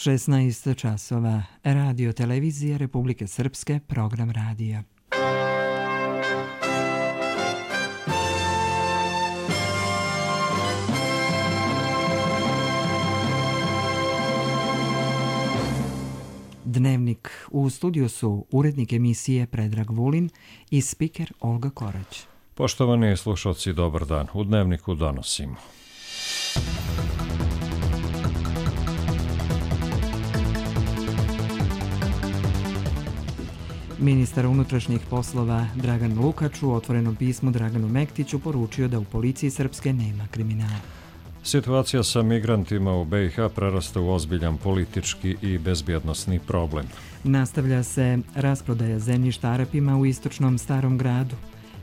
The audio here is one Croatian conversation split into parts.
16 časova. Radio televizija Republike Srpske, program radija. Dnevnik. U studiju su urednik emisije Predrag Vulin i spiker Olga Korać. Poštovani slušalci, dobar dan. U Dnevniku donosimo. Ministar unutrašnjih poslova Dragan Lukač u otvorenom pismu Draganu Mektiću poručio da u policiji Srpske nema kriminala. Situacija sa migrantima u BiH prerasta u ozbiljan politički i bezbjednosni problem. Nastavlja se rasprodaja zemljišta Arapima u istočnom Starom gradu.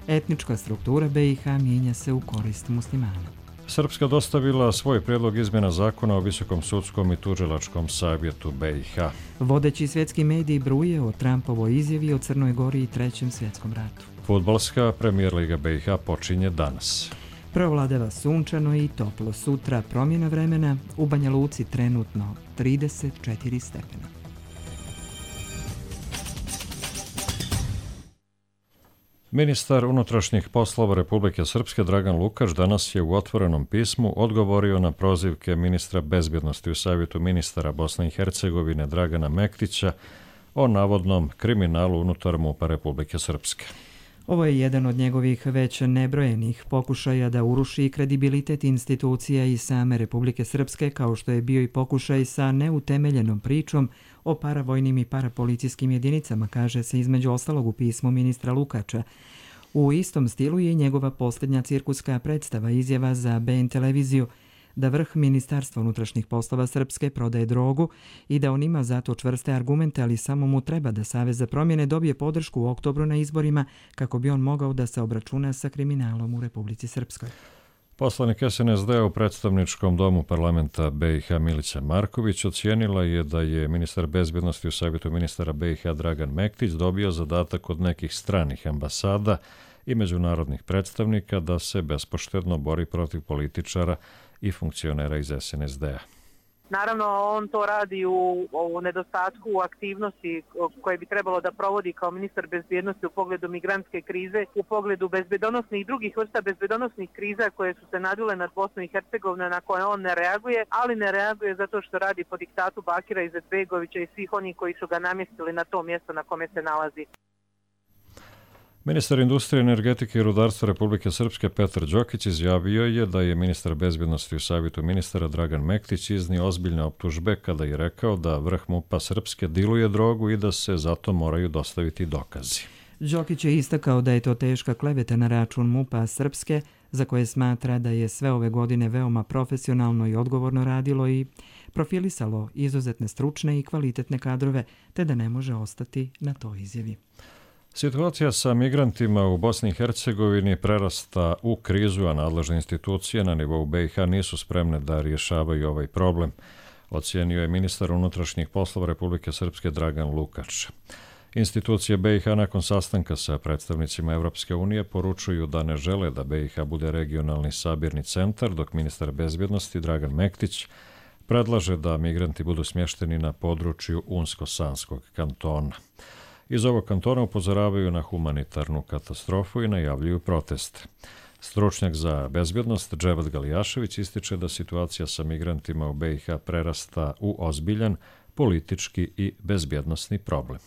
Etnička struktura BiH mijenja se u korist muslimana. Srpska dostavila svoj prijedlog izmjena zakona o Visokom sudskom i tužilačkom savjetu BiH. Vodeći svjetski mediji bruje o Trumpovoj izjavi o Crnoj Gori i Trećem svjetskom ratu. Fudbalska Premier Liga BiH počinje danas. Provladava sunčano i toplo. Sutra promjena vremena, u Banja Luci trenutno 34 stepena. Ministar unutrašnjih poslova Republike Srpske Dragan Lukač danas je u otvorenom pismu odgovorio na prozivke ministra bezbjednosti u Savjetu ministara Bosne i Hercegovine Dragana Mektića o navodnom kriminalu unutar MUP-a Republike Srpske. Ovo je jedan od njegovih već nebrojenih pokušaja da uruši kredibilitet institucija i same Republike Srpske, kao što je bio i pokušaj sa neutemeljenom pričom o paravojnim i parapolicijskim jedinicama, kaže se između ostalog u pismu ministra Lukača. U istom stilu je njegova posljednja cirkuska predstava, izjava za BN televiziju da vrh Ministarstva unutrašnjih poslova Srpske prodaje drogu i da on ima zato čvrste argumente, ali samo mu treba da Savez za promjene dobije podršku u oktobru na izborima kako bi on mogao da se obračuna sa kriminalom u Republici Srpskoj. Poslanik SNSD u predstavničkom domu parlamenta BiH Milica Marković ocijenila je da je ministar bezbjednosti u Savjetu ministara BiH Dragan Mektić dobio zadatak od nekih stranih ambasada i međunarodnih predstavnika da se bespoštedno bori protiv političara i funkcionera iz SNSD-a. Naravno, on to radi u nedostatku aktivnosti koje bi trebalo da provodi kao ministar bezbjednosti u pogledu migrantske krize, u pogledu bezbjedonosnih i drugih vrsta bezbjedonosnih kriza koje su se nadvile nad Bosnu i Hercegovinu, na koje on ne reaguje, ali ne reaguje zato što radi po diktatu Bakira Izetbegovića i svih onih koji su ga namjestili na to mjesto na kome se nalazi. Ministar industrije, energetike i rudarstva Republike Srpske Petar Đokić izjavio je da je ministar bezbjednosti u Savjetu ministara Dragan Mektić iznio ozbiljne optužbe kada je rekao da vrh MUP-a Srpske diluje drogu i da se zato moraju dostaviti dokazi. Đokić je istakao da je to teška kleveta na račun MUP-a Srpske, za koje smatra da je sve ove godine veoma profesionalno i odgovorno radilo i profilisalo izuzetne stručne i kvalitetne kadrove, te da ne može ostati na toj izjavi. Situacija sa migrantima u Bosni i Hercegovini prerasta u krizu, a nadležne institucije na nivou BiH nisu spremne da rješavaju ovaj problem, ocijenio je ministar unutrašnjih poslova Republike Srpske Dragan Lukač. Institucije BiH nakon sastanka sa predstavnicima Evropske unije poručuju da ne žele da BiH bude regionalni sabirni centar, dok ministar bezbjednosti Dragan Mektić predlaže da migranti budu smješteni na području Unsko-Sanskog kantona. Iz ovog kantona upozoravaju na humanitarnu katastrofu i najavljuju proteste. Stručnjak za bezbjednost Dževad Galijašević ističe da situacija sa migrantima u BiH prerasta u ozbiljan politički i bezbjednosni problem.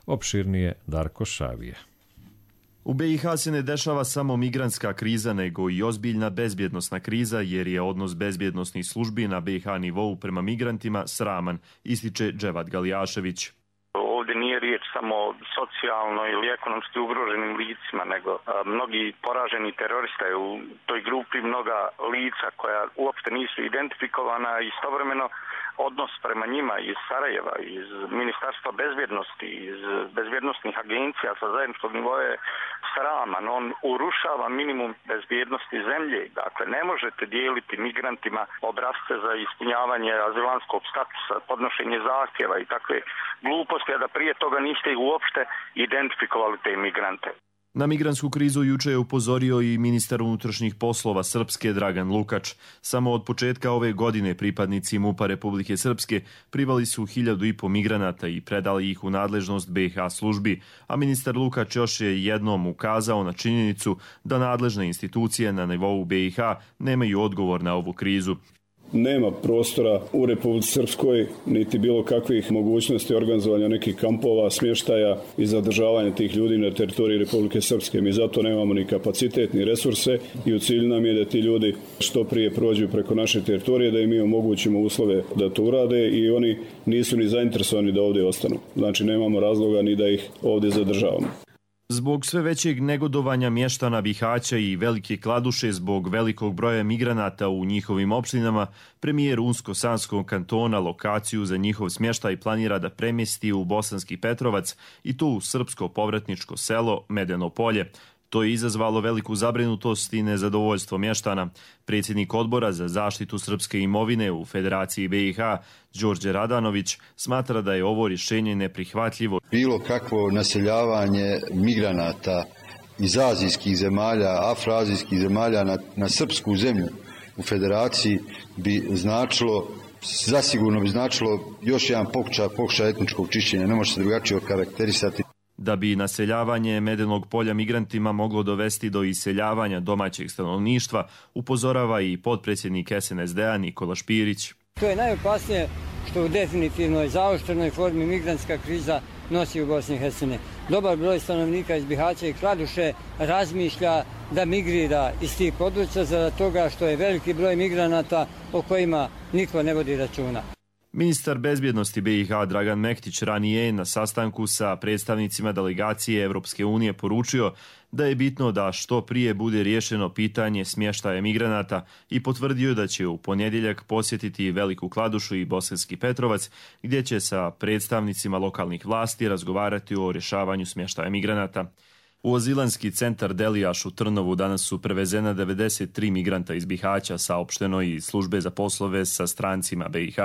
Opširnije Darko Šavije. U BiH se ne dešava samo migrantska kriza, nego i ozbiljna bezbjednosna kriza, jer je odnos bezbjednosnih službi na BiH nivou prema migrantima sraman, ističe Dževad Galijašević. Ovdje nije riječ samo o socijalno ili ekonomski ugroženim licima, nego mnogi poraženi terorista je u toj grupi, mnoga lica koja uopšte nisu identifikovana, istovremeno odnos prema njima iz Sarajeva, iz Ministarstva bezbjednosti, iz bezbjednostnih agencija sa zajedničkog nivoa je sraman. On urušava minimum bezbjednosti zemlje. Dakle, ne možete dijeliti migrantima obrasce za ispunjavanje azilanskog statusa, podnošenje zahtjeva i takve gluposti, a da prije toga niste uopšte identifikovali te migrante. Na migrantsku krizu juče je upozorio i ministar unutrašnjih poslova Srpske Dragan Lukač. Samo od početka ove godine pripadnici MUP-a Republike Srpske privali su 1.500 migranata i predali ih u nadležnost BiH službi, a ministar Lukač još je jednom ukazao na činjenicu da nadležne institucije na nivou BiH nemaju odgovor na ovu krizu. Nema prostora u Republici Srpskoj, niti bilo kakvih mogućnosti organizovanja nekih kampova, smještaja i zadržavanja tih ljudi na teritoriji Republike Srpske. Mi zato nemamo ni kapacitet, ni resurse i u cilju nam je da ti ljudi što prije prođu preko naše teritorije, da im mi omogućimo uslove da to urade i oni nisu ni zainteresovani da ovdje ostanu. Znači nemamo razloga ni da ih ovdje zadržavamo. Zbog sve većeg negodovanja mještana Bihaća i Velike Kladuše zbog velikog broja migranata u njihovim opštinama, premijer Unsko-Sanskog kantona lokaciju za njihov smještaj planira da premjesti u Bosanski Petrovac i to u srpsko povratničko selo Medeno Polje. To je izazvalo veliku zabrinutost i nezadovoljstvo mještana. Predsjednik odbora za zaštitu srpske imovine u Federaciji BiH, Đorđe Radanović, smatra da je ovo rješenje neprihvatljivo. Bilo kakvo naseljavanje migranata iz azijskih zemalja, afroazijskih zemalja na srpsku zemlju u Federaciji bi značilo, zasigurno bi značilo još jedan pokušaj etničkog čišćenja, ne može se drugačije okarakterisati. Da bi naseljavanje Medenog Polja migrantima moglo dovesti do iseljavanja domaćeg stanovništva, upozorava i potpredsjednik SNSD-a Nikola Špirić. To je najopasnije što u definitivnoj zaoštrenoj formi migrantska kriza nosi u Bosni i Hercegovini. Dobar broj stanovnika iz Bihaća i Kladuše razmišlja da migrira iz tih područja zbog toga što je veliki broj migranata o kojima niko ne vodi računa. Ministar bezbjednosti BiH Dragan Mektić ranije na sastanku sa predstavnicima delegacije Evropske unije poručio da je bitno da što prije bude riješeno pitanje smještaja migranata i potvrdio da će u ponedjeljak posjetiti Veliku Kladušu i Bosanski Petrovac, gdje će sa predstavnicima lokalnih vlasti razgovarati o rješavanju smještaja migranata. U azilanski centar Delijaš u Trnovu danas su prevezena 93 migranta iz Bihaća, saopšteno iz službe za poslove sa strancima BiH.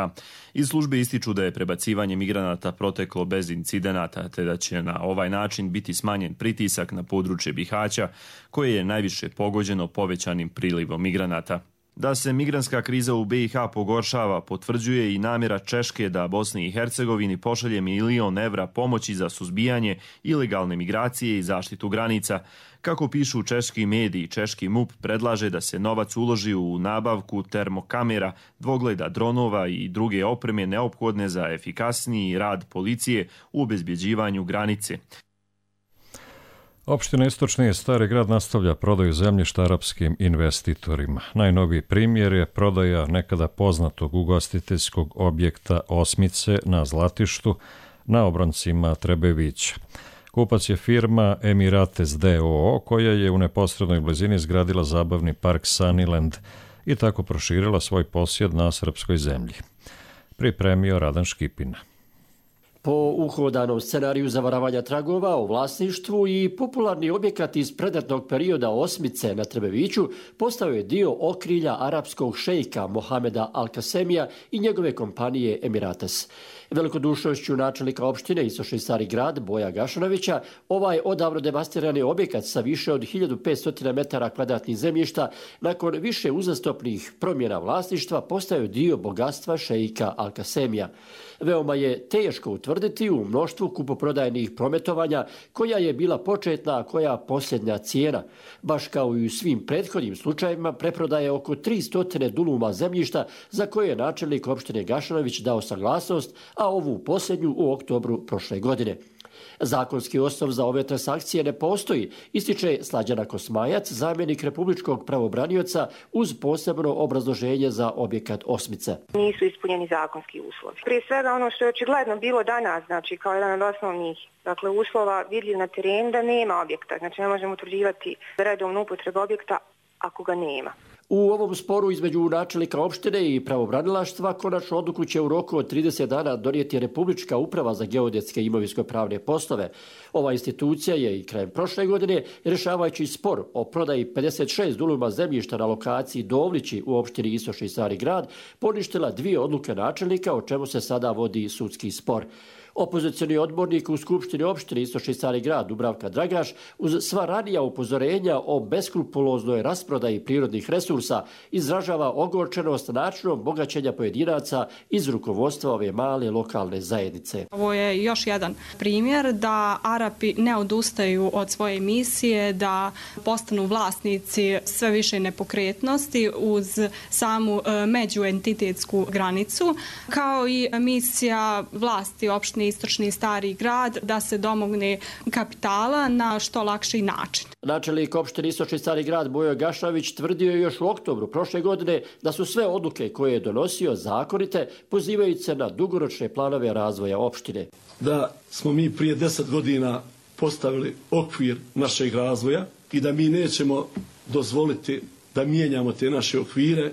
Iz službe ističu da je prebacivanje migranata proteklo bez incidenata, te da će na ovaj način biti smanjen pritisak na područje Bihaća, koje je najviše pogođeno povećanim prilivom migranata. Da se migrantska kriza u BiH pogoršava, potvrđuje i namjera Češke da Bosni i Hercegovini pošalje 1 milion evra pomoći za suzbijanje ilegalne migracije i zaštitu granica. Kako pišu češki mediji, češki MUP predlaže da se novac uloži u nabavku termokamera, dvogleda dronova i druge opreme neophodne za efikasniji rad policije u obezbjeđivanju granice. Opština Istočni Stari Grad nastavlja prodaju zemljišta arapskim investitorima. Najnoviji primjer je prodaja nekada poznatog ugostiteljskog objekta Osmice na Zlatištu na obroncima Trebevića. Kupac je firma Emirates DOO, koja je u neposrednoj blizini izgradila zabavni park Sunnyland i tako proširila svoj posjed na srpskoj zemlji. Pripremio Radan Škipina. Po uhodanom scenariju zavaravanja tragova o vlasništvu i popularni objekat iz predratnog perioda Osmice na Trebeviću postao je dio okrilja arapskog šejka Mohameda Al-Kasemija i njegove kompanije Emirates. Velikodušnošću načelnika opštine Istočni Stari Grad Boja Gašanovića, ovaj odavno devastirani objekat sa više od 1500 metara kvadratnih zemljišta nakon više uzastopnih promjena vlasništva postao je dio bogatstva šejka Al-Kasemija. Veoma je teško utvrditi u mnoštvu kupoprodajnih prometovanja koja je bila početna, a koja posljednja cijena. Baš kao i u svim prethodnim slučajevima, preprodaje oko 300 duluma zemljišta za koje je načelnik opštine Gašanović dao saglasnost, a ovu posljednju u oktobru prošle godine. Zakonski osnov za ove transakcije ne postoji, ističe Slađana Kosmajac, zamjenik republičkog pravobranioca, uz posebno obrazloženje za objekat Osmice. Nisu ispunjeni zakonski uslovi. Prije svega ono što je očigledno bilo danas, znači kao jedan od osnovnih uslova vidljiv na terenu da nema objekta, znači ne možemo utvrđivati redovnu upotrebu objekta ako ga nema. U ovom sporu između načelnika opštine i pravobranilaštva konačnu odluku će u roku od 30 dana donijeti Republička uprava za geodetske i imovinsko-pravne poslove. Ova institucija je i krajem prošle godine, rješavajući spor o prodaji 56 duluma zemljišta na lokaciji Dovlići u opštini Istočni Stari Grad, poništila 2 odluke načelnika, o čemu se sada vodi sudski spor. Opozicioni odbornik u Skupštini opštine Istočni Stari Grad Dubravka Dragaš uz sva ranija upozorenja o beskrupuloznoj rasprodaji prirodnih resursa izražava ogorčenost načinom bogaćenja pojedinaca iz rukovodstva ove male lokalne zajednice. Ovo je još jedan primjer da Arapi ne odustaju od svoje misije, da postanu vlasnici sve više nepokretnosti uz samu međuentitetsku granicu, kao i misija vlasti opštine Istočni Stari Grad da se domogne kapitala na što lakši način. Načelnik opštine Istočni Stari Grad Bojo Gašavić tvrdio je još u oktobru prošle godine da su sve odluke koje je donosio zakonite, pozivajući se na dugoročne planove razvoja opštine. Da smo mi prije 10 godina postavili okvir našeg razvoja i da mi nećemo dozvoliti da mijenjamo te naše okvire,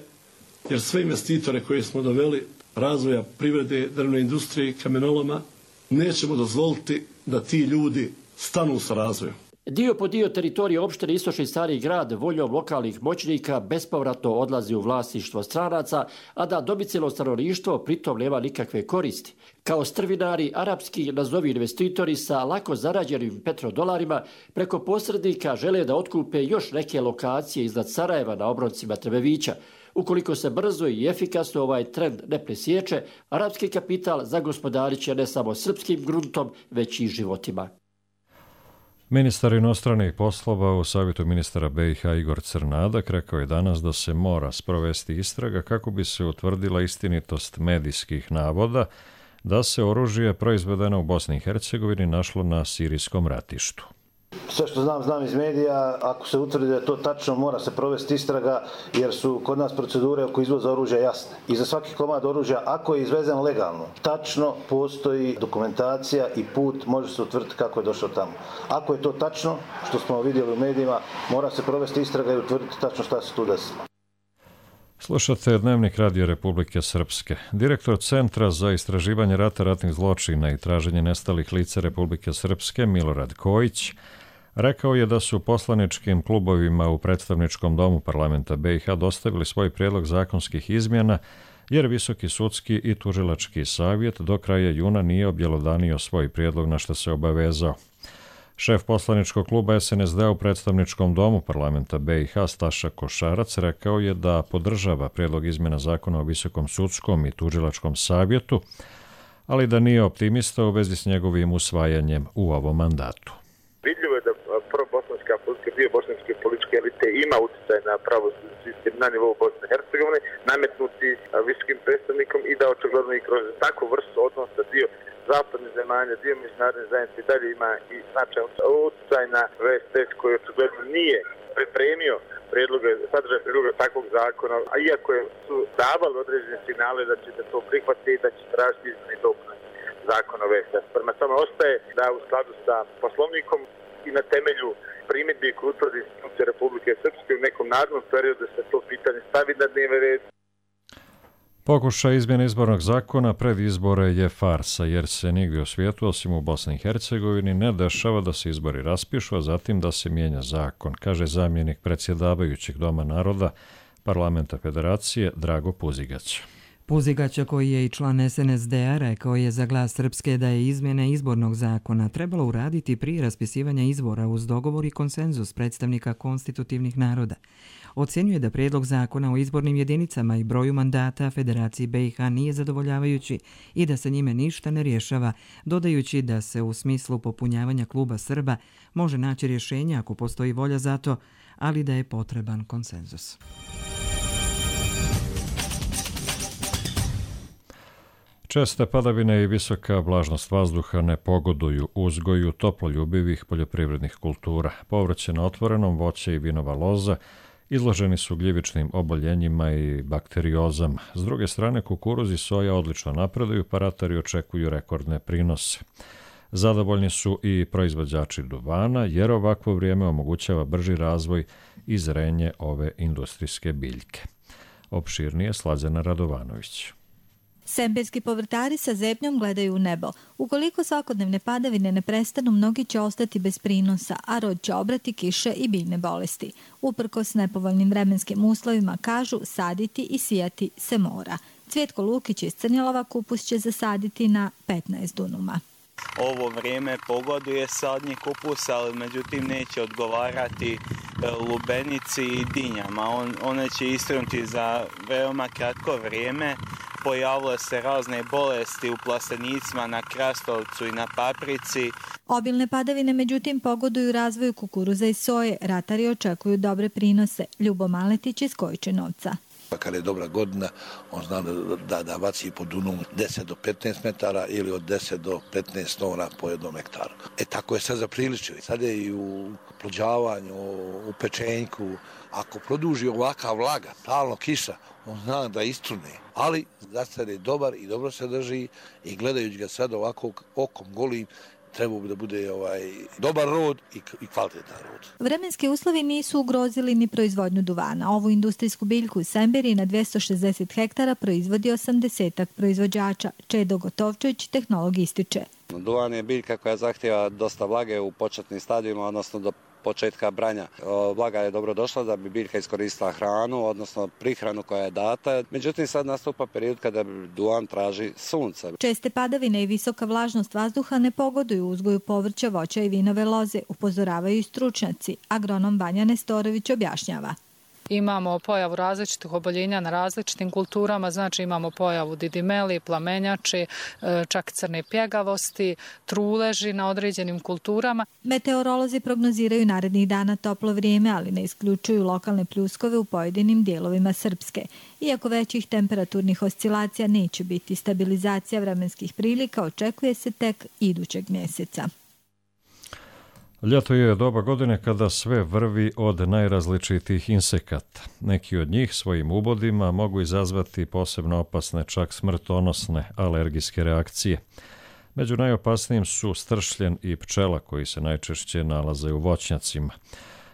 jer sve investitore koje smo doveli, razvoja privrede, drvne industrije, kamenoloma, nećemo dozvoliti da ti ljudi stanu sa razvojom. Dio po dio teritorije opštine Istočni Stari Grad voljom lokalnih moćnika bespovratno odlazi u vlasništvo stranaca, a da domicilno stanovništvo pritom nema nikakve koristi. Kao strvinari, arapski nazovi investitori sa lako zarađenim petrodolarima preko posrednika žele da otkupe još neke lokacije iznad Sarajeva na obroncima Trebevića. Ukoliko se brzo i efikasno ovaj trend ne presječe, arapski kapital zagospodarit će ne samo srpskim gruntom, već i životima. Ministar inostranih poslova u Savjetu ministara BiH Igor Crnadak rekao je danas da se mora sprovesti istraga kako bi se utvrdila istinitost medijskih navoda da se oružje proizvedeno u Bosni i Hercegovini našlo na sirijskom ratištu. Sve što znam iz medija, ako se utvrdi da je to tačno, mora se provesti istraga jer su kod nas procedure oko izvoza oružja jasne. I za svaki komad oružja, ako je izvezen legalno, tačno postoji dokumentacija i put, može se utvrditi kako je došao tamo. Ako je to tačno, što smo vidjeli u medijima, mora se provesti istraga i utvrditi tačno šta se tu desilo. Slušate Dnevnik Radija Republike Srpske. Direktor Centra za istraživanje rata, ratnih zločina i traženje nestalih lica Republike Srpske Milorad Kojić rekao je da su poslaničkim klubovima u predstavničkom domu parlamenta BiH dostavili svoj prijedlog zakonskih izmjena jer Visoki sudski i tužilački savjet do kraja juna nije objelodanio svoj prijedlog na što se obavezao. Šef poslaničkog kluba SNSD u predstavničkom domu parlamenta BiH Staša Košarac rekao je da podržava prijedlog izmjena zakona o Visokom sudskom i tužilačkom savjetu, ali da nije optimista u vezi s njegovim usvajanjem u ovom mandatu. Vidljivo je da probosanska politika, dio bosanske političke elite ima utjecaj na pravosudni sistem na nivou Bosne i Hercegovine, nametnuti visokim predstavnikom i da očigledno i kroz takvu vrstu odnosa dio zapadnih zemalja, dio međunarodne zajednice dalje ima i značajan utjecaj na VSS koji očigledno nije pripremio sadržaj prijedloga takvog zakona, a iako su davali određene signale da ćete to prihvatiti i da će tražiti izmjene i dopune zakona o VSS. Prema tome ostaje da u skladu sa poslovnikom i na temelju primjedbi koje utvrdi institucija Republike Srpske u nekom narednom periodu se to pitanje stavi na dnevni red. Pokušaj izmjene izbornog zakona pred izbore je farsa, jer se nigdje u svijetu, osim u Bosni i Hercegovini, ne dešava da se izbori raspišu, a zatim da se mijenja zakon, kaže zamjenik predsjedavajućeg Doma naroda Parlamenta Federacije Drago Puzigać. Puzigaća, koji je i član SNSD-a, rekao je za Glas Srpske da je izmjene izbornog zakona trebalo uraditi prije raspisivanja izbora uz dogovor i konsenzus predstavnika konstitutivnih naroda. Ocenjuje da prijedlog zakona o izbornim jedinicama i broju mandata Federaciji BiH nije zadovoljavajući i da se njime ništa ne rješava, dodajući da se u smislu popunjavanja kluba Srba može naći rješenje ako postoji volja za to, ali da je potreban konsenzus. Česte padavine i visoka vlažnost vazduha ne pogoduju uzgoju toploljubivih poljoprivrednih kultura. Povrće na otvorenom, voće i vinova loza izloženi su gljivičnim oboljenjima i bakteriozama. S druge strane, kukuruz i soja odlično napreduju, pa ratari očekuju rekordne prinose. Zadovoljni su i proizvođači duvana, jer ovakvo vrijeme omogućava brži razvoj i zrenje ove industrijske biljke. Opširnije Slađana Radovanović. Semberski povrtari sa zebnjom gledaju u nebo. Ukoliko svakodnevne padavine ne prestanu, mnogi će ostati bez prinosa, a rod će obrati kiše i biljne bolesti. Uprkos nepovoljnim vremenskim uslovima, kažu, saditi i sijati se mora. Cvjetko Lukić iz Crnjelova kupus će zasaditi na 15 dunuma. ovo vrijeme pogoduje sadnji kupusa, ali međutim neće odgovarati lubenici i dinjama. One će istrunuti za veoma kratko vrijeme. Pojavile se razne bolesti u plastenicima, na krastavcu i na paprici. Obilne padavine međutim pogoduju razvoju kukuruza i soje. Ratari očekuju dobre prinose. Ljubo Maletić iz Kojičenovca. Kad je dobra godina, on zna da baci po dunu 10 do 15 metara ili od 10 do 15 tona po jednom hektaru. Tako je sad zapriličio. Sad je i u plođavanju, u pečenjku. Ako produži ovaka vlaga, stalno kiša, on zna da istrune. Ali zasad je dobar i dobro se drži i gledajući ga sad ovako okom golim, trebao bi da bude dobar rod i kvalitetan rod. Vremenski uslovi nisu ugrozili ni proizvodnju duvana. Ovu industrijsku biljku u Semberiji na 260 hektara proizvodi 80 proizvođača. Čedo Gotovčević, tehnolog, ističe. Duvan je biljka koja zahtjeva dosta vlage u početnim stadijima, odnosno do početka branja. Vlaga je dobro došla da bi biljka iskoristila hranu, odnosno prihranu koja je data. Međutim, sad nastupa period kada duvan traži sunce. Česte padavine i visoka vlažnost vazduha ne pogoduju uzgoju povrća, voća i vinove loze, upozoravaju i stručnjaci. Agronom Vanja Nestorović objašnjava. Imamo pojavu različitih oboljenja na različitim kulturama, znači imamo pojavu didimeli, plamenjači, čak crne pjegavosti, truleži na određenim kulturama. Meteorolozi prognoziraju narednih dana toplo vrijeme, ali ne isključuju lokalne pljuskove u pojedinim dijelovima Srpske. Iako većih temperaturnih oscilacija neće biti, stabilizacija vremenskih prilika očekuje se tek idućeg mjeseca. Ljeto je doba godine kada sve vrvi od najrazličitijih insekata. Neki od njih svojim ubodima mogu izazvati posebno opasne, čak smrtonosne alergijske reakcije. Među najopasnijim su stršljen i pčela koji se najčešće nalaze u voćnjacima.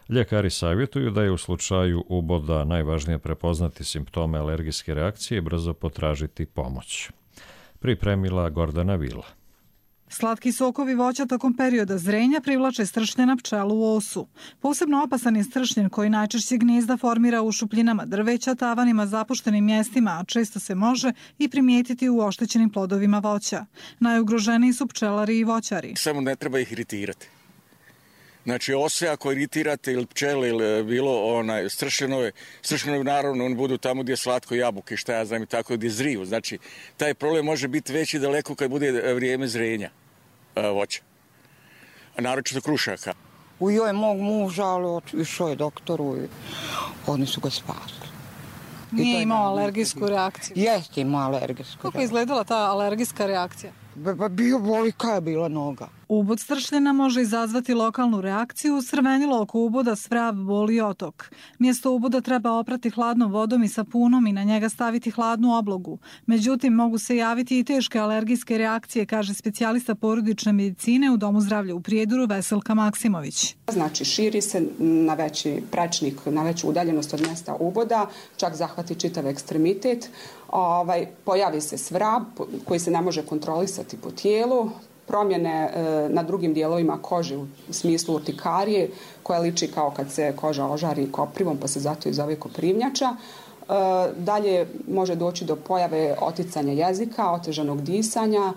Ljekari savjetuju da je u slučaju uboda najvažnije prepoznati simptome alergijske reakcije i brzo potražiti pomoć. Pripremila Gordana Vila. Slatki sokovi voća tokom perioda zrenja privlače stršljena pčelu u osu. Posebno opasan je stršljen koji najčešće gnijezda formira u šupljinama drveća, tavanima, zapuštenim mjestima, a često se može i primijetiti u oštećenim plodovima voća. Najugroženiji su pčelari i voćari. Samo ne treba ih iritirati. Znači, ose ako iritirate ili pčele ili bilo stršljenove naravno oni budu tamo gdje je slatko jabuke, šta ja znam i tako gdje zriju. Znači, taj problem može biti veći daleko kad bude vrijeme zrenja voća. A naročito krušaka. Ujoj mog muža, ali išao je doktoru i oni su ga spasili. Nije imao alergijsku reakciju? Jeste imao alergijsku reakciju. Kako je izgledala ta alergijska reakcija? Bio boli kada je bila noga. Ubod stršljena može izazvati lokalnu reakciju, crvenilo oko uboda, svrav, bol i otok. Mjesto uboda treba oprati hladnom vodom i sapunom i na njega staviti hladnu oblogu. Međutim, mogu se javiti i teške alergijske reakcije, kaže specijalista porodične medicine u Domu zdravlja u Prijedoru Veselka Maksimović. Znači, širi se na veći prečnik, na veću udaljenost od mjesta uboda, čak zahvati čitav ekstremitet. Pojavi se svrav koji se ne može kontrolisati po tijelu, promjene na drugim dijelovima kože u smislu urtikarije koja liči kao kad se koža ožari koprivom pa se zato i zove koprivnjača. Dalje može doći do pojave oticanja jezika, otežanog disanja,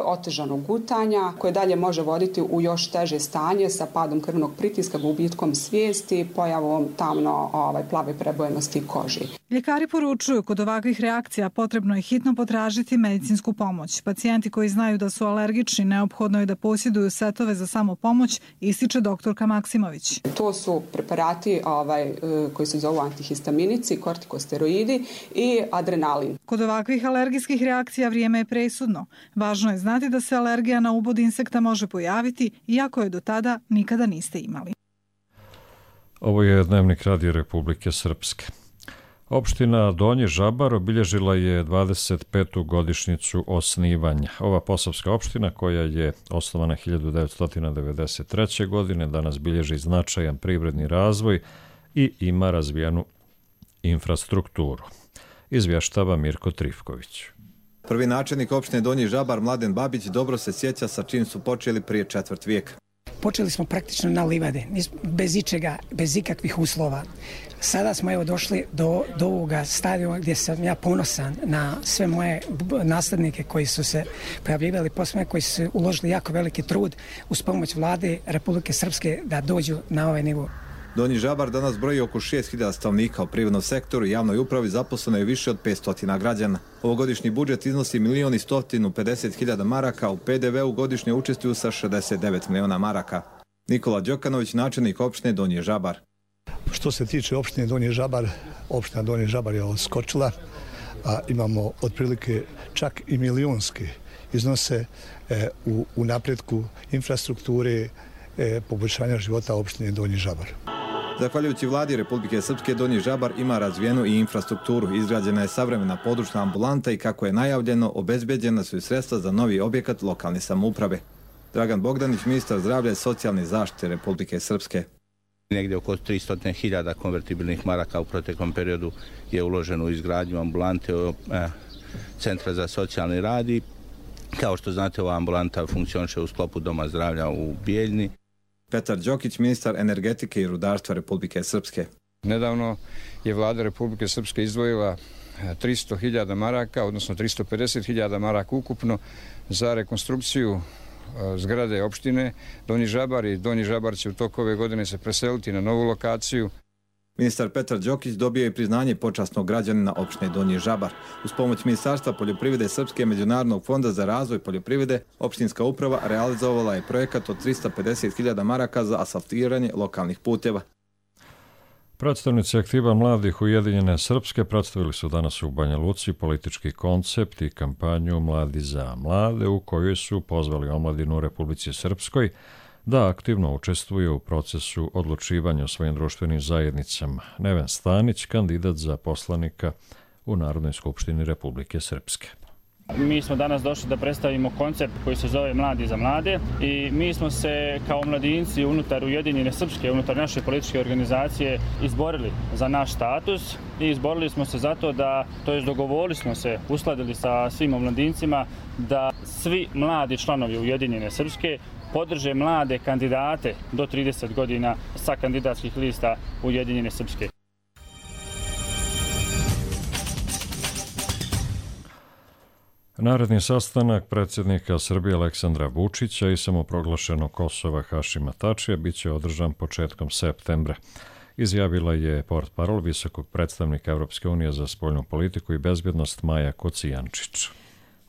otežanog gutanja, koje dalje može voditi u još teže stanje sa padom krvnog pritiska, gubitkom svijesti, pojavom tamno plave prebojenosti koži. Ljekari poručuju kod ovakvih reakcija potrebno je hitno potražiti medicinsku pomoć. Pacijenti koji znaju da su alergični neophodno je da posjeduju setove za samopomoć, ističe doktorka Maksimović. To su preparati koji se zovu antihistaminici, kortikosteroidi i adrenalin. Kod ovakvih alergijskih reakcija vrijeme je presudno. Važno je znati da se alergija na ubod insekta može pojaviti, iako je do tada nikada niste imali. Ovo je Dnevnik Radio Republike Srpske. Opština Donji Žabar obilježila je 25. godišnjicu osnivanja. Ova posavska opština, koja je osnovana 1993. godine, danas bilježi značajan privredni razvoj i ima razvijenu infrastrukturu. Izvještava Mirko Trifković. Prvi načelnik opštine Donji Žabar, Mladen Babić, dobro se sjeća sa čim su počeli prije četvrt vijeka. počeli smo praktično na livade, bez ičega, bez ikakvih uslova. Sada smo evo došli do ovoga stadiona gdje sam ja ponosan na sve moje naslednike koji su se pojavljivali posle, koji su uložili jako veliki trud uz pomoć vlade Republike Srpske da dođu na ovaj nivo. Donji Žabar danas broji oko 6.000 stanovnika, u privrednom sektoru i javnoj upravi zaposleno je više od 500 građana. Ovogodišnji budžet iznosi 1.150.000 maraka, u PDV-u godišnje učestvuju sa 69 miliona maraka. Nikola Đokanović, načelnik opštine Donji Žabar. Što se tiče opštine Donji Žabar, opština Donji Žabar je odskočila, a imamo otprilike čak i milionske iznose u napretku infrastrukture, poboljšanja života opštine Donji Žabar. Zahvaljujući vladi Republike Srpske, Donji Žabar ima razvijenu i infrastrukturu. Izgrađena je savremena područna ambulanta i, kako je najavljeno, obezbeđena su i sredstva za novi objekat lokalne samouprave. Dragan Bogdanić, ministar zdravlja i socijalne zaštite Republike Srpske. Negdje oko 300.000 konvertibilnih maraka u proteklom periodu je uloženo u izgradnju ambulante Centra za socijalni rad i, kao što znate, ova ambulanta funkcioniše u sklopu Doma zdravlja u Bijeljni. Petar Đokić, ministar energetike i rudarstva Republike Srpske. Nedavno je vlada Republike Srpske izdvojila 300.000 maraka, odnosno 350.000 maraka ukupno za rekonstrukciju zgrade opštine Donji Žabar i Donji Žabar će u toku ove godine se preseliti na novu lokaciju. Ministar Petar Đokić dobio je priznanje počasnog građanina opštine Donji Žabar. Uz pomoć Ministarstva poljoprivrede Srpske i Međunarodnog fonda za razvoj poljoprivrede, opštinska uprava realizovala je projekat od 350.000 maraka za asfaltiranje lokalnih puteva. Predstavnici aktiva mladih Ujedinjene Srpske predstavili su danas u Banja Luci politički koncept i kampanju Mladi za mlade, u kojoj su pozvali omladinu u Republici Srpskoj da aktivno učestvuje u procesu odlučivanja o svojim društvenim zajednicama. Neven Stanić, kandidat za poslanika u Narodnoj skupštini Republike Srpske. Mi smo danas došli da predstavimo koncept koji se zove Mladi za mlade i mi smo se kao mladinci unutar Ujedinjene Srpske, unutar naše političke organizacije izborili za naš status i izborili smo se zato dogovorili smo se, uskladili sa svim omladincima da svi mladi članovi Ujedinjene Srpske podrže mlade kandidate do 30 godina sa kandidatskih lista Ujedinjene Srpske. Naredni sastanak predsjednika Srbije Aleksandra Vučića i samoproglašenog Kosova Hašima Tačija biće održan početkom septembra. Izjavila je portparol visokog predstavnika Evropske unije za spoljnu politiku i bezbjednost Maja Kocijančić.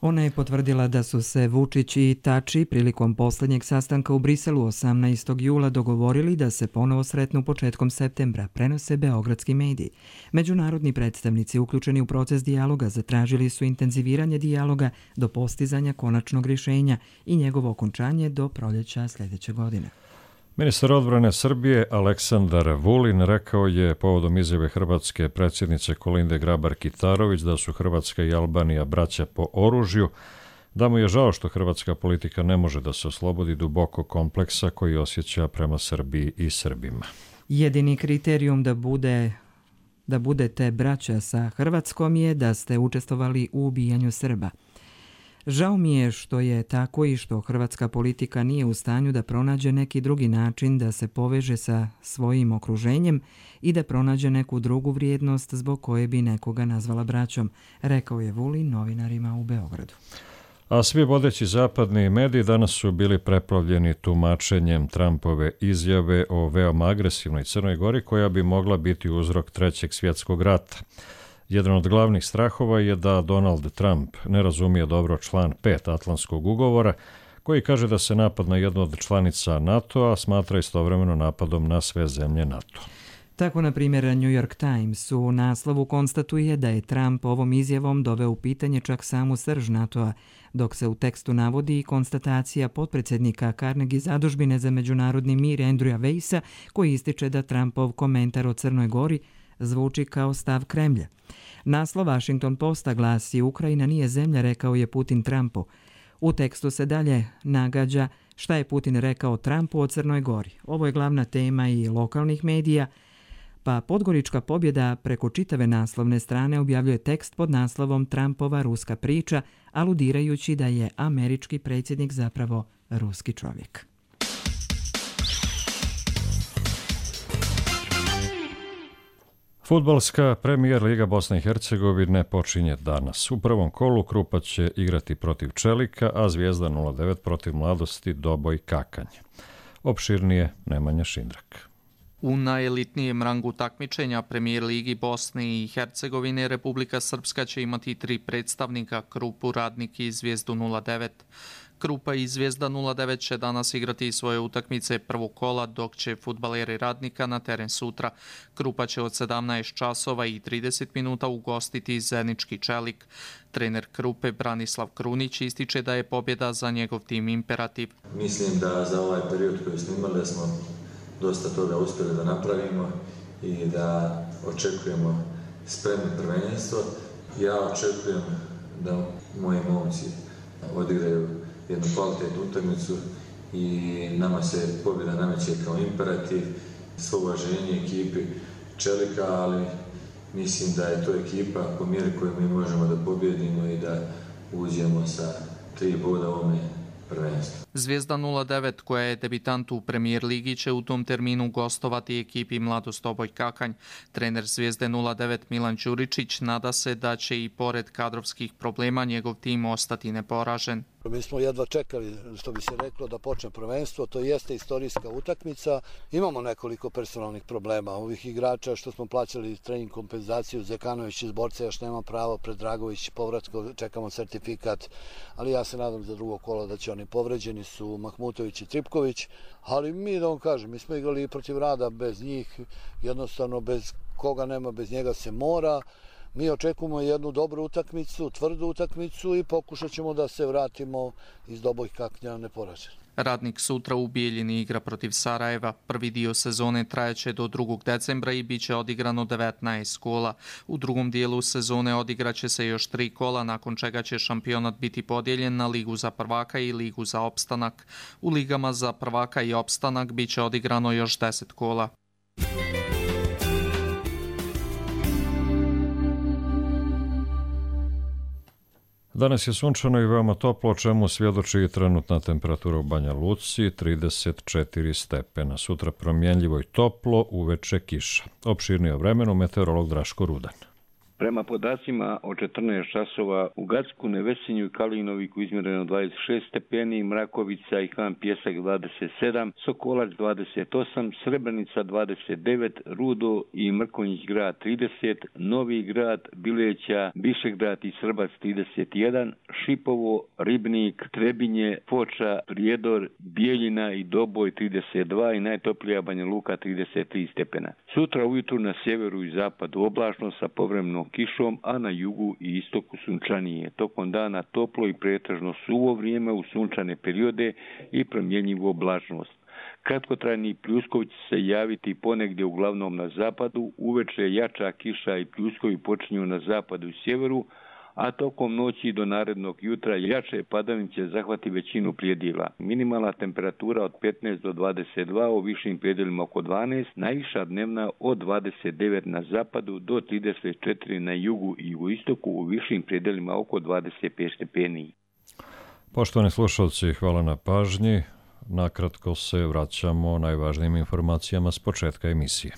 Ona je potvrdila da su se Vučić i Tači prilikom posljednjeg sastanka u Briselu 18. jula dogovorili da se ponovo sretnu početkom septembra, prenose beogradski mediji. Međunarodni predstavnici uključeni u proces dijaloga zatražili su intenziviranje dijaloga do postizanja konačnog rješenja i njegovo okončanje do proljeća sljedeće godine. Ministar odbrane Srbije Aleksandar Vulin rekao je povodom izjave hrvatske predsjednice Kolinde Grabar-Kitarović da su Hrvatska i Albanija braća po oružju, da mu je žao što hrvatska politika ne može da se oslobodi duboko kompleksa koji osjeća prema Srbiji i Srbima. Jedini kriterijum da budete braća sa Hrvatskom je da ste učestvovali u ubijanju Srba. Žao mi je što je tako i što hrvatska politika nije u stanju da pronađe neki drugi način da se poveže sa svojim okruženjem i da pronađe neku drugu vrijednost zbog koje bi nekoga nazvala braćom, rekao je Vulin novinarima u Beogradu. A svi vodeći zapadni mediji danas su bili preplavljeni tumačenjem Trumpove izjave o veoma agresivnoj Crnoj Gori koja bi mogla biti uzrok Trećeg svjetskog rata. Jedan od glavnih strahova je da Donald Trump ne razumije dobro član 5 Atlantskog ugovora, koji kaže da se napad na jednu od članica NATO-a smatra istovremeno napadom na sve zemlje NATO. Tako, na primjer, New York Times u naslovu konstatuje da je Trump ovom izjavom doveo u pitanje čak samu srž NATO-a, dok se u tekstu navodi i konstatacija potpredsjednika Carnegie zadužbine za međunarodni mir Andrewa Weissa, koji ističe da Trumpov komentar o Crnoj Gori zvuči kao stav Kremlja. Naslov Washington Posta glasi: Ukrajina nije zemlja, rekao je Putin Trumpu. U tekstu se dalje nagađa šta je Putin rekao Trumpu o Crnoj Gori. Ovo je glavna tema i lokalnih medija, pa Podgorička pobjeda preko čitave naslovne strane objavljuje tekst pod naslovom Trumpova ruska priča, aludirajući da je američki predsjednik zapravo ruski čovjek. Fudbalska premijer Liga Bosne i Hercegovine počinje danas. U prvom kolu Krupa će igrati protiv Čelika, a Zvijezda 09 protiv Mladosti Doboj Kakanje. Opširnije Nemanja Šindrak. U najelitnijem rangu takmičenja Premijer Ligi Bosne i Hercegovine Republika Srpska će imati 3 predstavnika, Krupu, Radnik i Zvijezdu 09. Krupa i Zvijezda 09 će danas igrati svoje utakmice prvog kola, dok će fudbaleri Radnika na teren sutra. Krupa će od 17 časova i 30 minuta ugostiti Zenički Čelik. Trener Krupe Branislav Krunić ističe da je pobjeda za njegov tim imperativ. Mislim da za ovaj period koji smo imali da smo dosta toga uspjeli da napravimo i da očekujemo spremno prvenstvo. Ja očekujem da moji momci odigraju jednu kvalitetnu utakmicu i nama se pobjeda nameće kao imperativ, svo uvaženje ekipi Čelika, ali mislim da je to ekipa po mjeri koju mi možemo da pobjedimo i da uđemo sa 3 boda u ovome prvenstvu. Zvijezda 09, koja je debitant u Premijer Ligi, će u tom terminu gostovati ekipi Mladost Doboj Kakanj. Trener Zvijezde 09 Milan Đuričić nada se da će i pored kadrovskih problema njegov tim ostati neporažen. Mi smo jedva čekali, što bi se reklo, da počne prvenstvo. To jeste istorijska utakmica. Imamo nekoliko personalnih problema. Ovih igrača što smo plaćali trening kompenzaciju, Zekanović iz Borca još nema pravo, Predragović povratko, čekamo certifikat, ali ja se nadam za drugo kolo da će oni povređeni su Mahmutović i Tripković. Ali mi, da vam kažem, mi smo igrali protiv Rada bez njih, jednostavno bez koga nema, bez njega se mora. Mi očekujemo jednu dobru utakmicu, tvrdu utakmicu i pokušat ćemo da se vratimo iz Doboj Kaknja neporaženi. Radnik sutra u Bijeljini igra protiv Sarajeva. Prvi dio sezone trajaće do 2. decembra i bit će odigrano 19 kola. U drugom dijelu sezone odigraće se još 3 kola, nakon čega će šampionat biti podijeljen na Ligu za prvaka i Ligu za opstanak. U ligama za prvaka i opstanak bit će odigrano još 10 kola. Danas je sunčano i veoma toplo, o čemu svjedoči i trenutna temperatura u Banja Luci, 34 stepena. Sutra promjenljivo i toplo, uveče kiša. Opširnije o vremenu meteorolog Draško Rudan. Prema podacima od 14 časova u Gacku, Nevesinju i Kalinoviku izmjereno 26 stepeni, Mrakovica i Han Pjesak 27, Sokolac 28, Srebrenica 29, Rudo i Mrkonjić grad 30, Novi grad, Bileća, Bišegrad i Srbac 31, Šipovo, Ribnik, Trebinje, Foča, Prijedor, Bijeljina i Doboj 32 i najtoplija Banja Luka 33 stepena. Sutra ujutru na sjeveru i zapadu oblačno sa povremenom kišom, a na jugu i istoku sunčanije. Tokom dana toplo i pretežno suvo vrijeme u sunčane periode i promjenjivu oblačnost. Kratkotrajni pljuskovi će se javiti ponegdje uglavnom na zapadu, uveče jača kiša i pljuskovi počinju na zapadu i sjeveru, a tokom noći do narednog jutra jače padavine će zahvati većinu predjela. Minimalna temperatura od 15 do 22, u višim predjelima oko 12, najviša dnevna od 29 na zapadu do 34 na jugu i jugoistoku, u višim predjelima oko 25 stepeni. Poštovani slušalci, hvala na pažnji. Nakratko se vraćamo najvažnijim informacijama s početka emisije.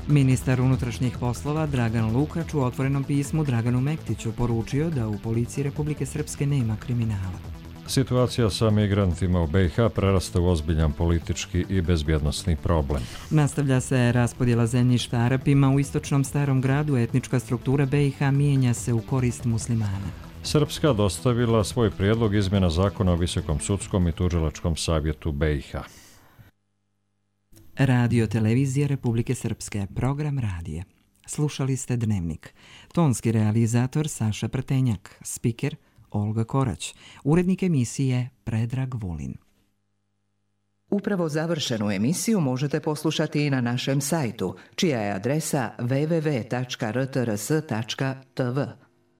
Ministar unutrašnjih poslova Dragan Lukač u otvorenom pismu Draganu Mektiću poručio da u policiji Republike Srpske nema kriminala. Situacija sa migrantima u BiH prerasta u ozbiljan politički i bezbjednosni problem. Nastavlja se raspodjela zemljišta Arapima u istočnom Starom gradu, etnička struktura BiH mijenja se u korist muslimana. Srpska dostavila svoj prijedlog izmjena zakona o Visokom sudskom i tužilačkom savjetu BiH. Radio Televizija Republike Srpske, program radije. Slušali ste Dnevnik. Tonski realizator Saša Prtenjak, spiker Olga Korać, urednik emisije Predrag Vulin. Upravo završenu emisiju možete poslušati i na našem sajtu, čija je adresa www.rtrs.tv.